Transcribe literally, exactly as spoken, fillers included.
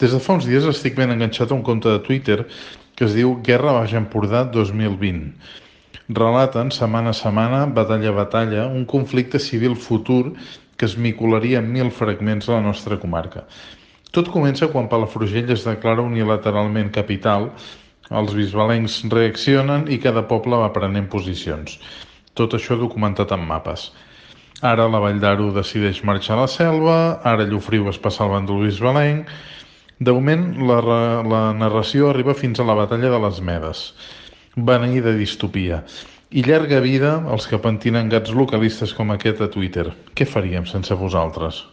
Des de fa uns dies estic ben enganxat a un compte de Twitter que es diu Guerra Baix Empordà dos mil vint. Relaten, setmana a setmana, batalla a batalla, un conflicte civil futur que es micolaria en mil fragments a la nostra comarca. Tot comença quan Palafrugell es declara unilateralment capital, els bisbalencs reaccionen i cada poble va prenent posicions. Tot això documentat en mapes. Ara la Vall d'Aro decideix marxar a la selva, ara Llofriu es passa al bàndol bisbalenc. De moment, la, la narració arriba fins a la batalla de les Medes, beneïda distopia. I llarga vida als que pentinen gats localistes com aquest a Twitter. Què faríem sense vosaltres?